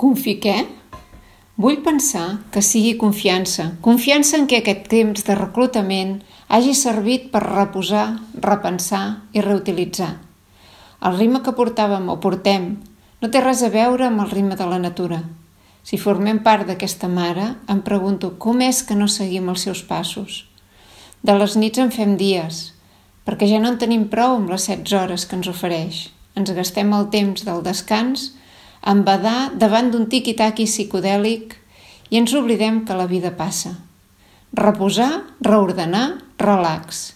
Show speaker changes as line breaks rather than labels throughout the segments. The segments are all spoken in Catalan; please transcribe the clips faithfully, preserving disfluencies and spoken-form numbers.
Confi què? Vull pensar que sigui confiança. Confiança en què aquest temps de reclutament hagi servit per reposar, repensar i reutilitzar. El ritme que portàvem o portem no té res a veure amb el ritme de la natura. Si formem part d'aquesta mare, em pregunto com és que no seguim els seus passos. De les nits en fem dies, perquè ja no en tenim prou amb les setze hores que ens ofereix. Ens gastem el temps del descans en badar davant d'un tiqui-taqui psicodèlic i ens oblidem que la vida passa. Reposar, reordenar, relax.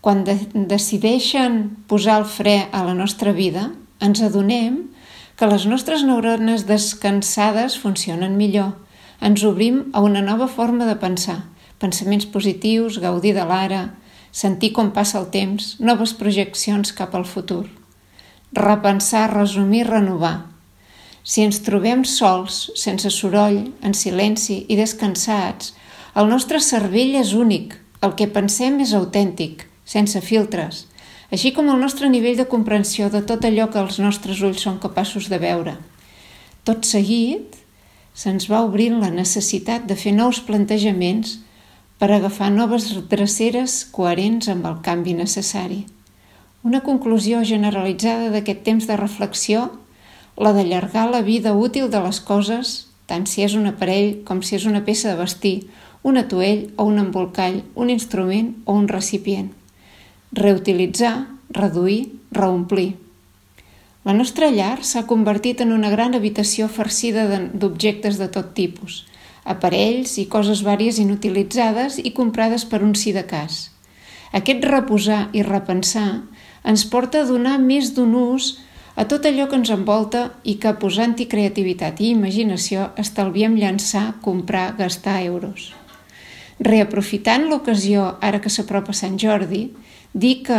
Quan de- decideixen posar el fre a la nostra vida, ens adonem que les nostres neurones descansades funcionen millor. Ens obrim a una nova forma de pensar, pensaments positius, gaudir de l'ara, sentir com passa el temps, noves projeccions cap al futur. Repensar, resumir, renovar. Si ens trobem sols, sense soroll, en silenci i descansats, el nostre cervell és únic, el que pensem és autèntic, sense filtres, així com el nostre nivell de comprensió de tot allò que els nostres ulls són capaços de veure. Tot seguit, se'ns va obrint la necessitat de fer nous plantejaments per agafar noves dreceres coherents amb el canvi necessari. Una conclusió generalitzada d'aquest temps de reflexió, la d'allargar la vida útil de les coses, tant si és un aparell com si és una peça de vestir, un atuell o un embolcall, un instrument o un recipient. Reutilitzar, reduir, reomplir. La nostra llar s'ha convertit en una gran habitació farcida d'objectes de tot tipus, aparells i coses vàries inutilitzades i comprades per un sí de cas. Aquest reposar i repensar ens porta a donar més d'un ús a tot allò que ens envolta i que posant-hi creativitat i imaginació estalviem llançar, comprar, gastar euros. Reaprofitant l'ocasió, ara que s'apropa Sant Jordi, dir que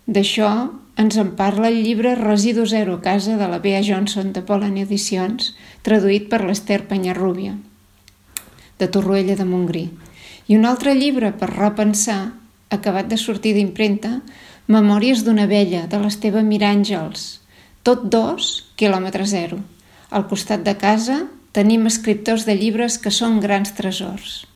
d'això ens en parla el llibre Residu Zero a casa de la Bea Johnson de Pollen Edicions, traduït per l'Ester Penyarrubia, de Torroella de Montgrí. I un altre llibre per repensar, acabat de sortir d'impremta, Memòries d'una vella, de l'Esteve Miràngels, tot dos, quilòmetre zero. Al costat de casa tenim escriptors de llibres que són grans tresors.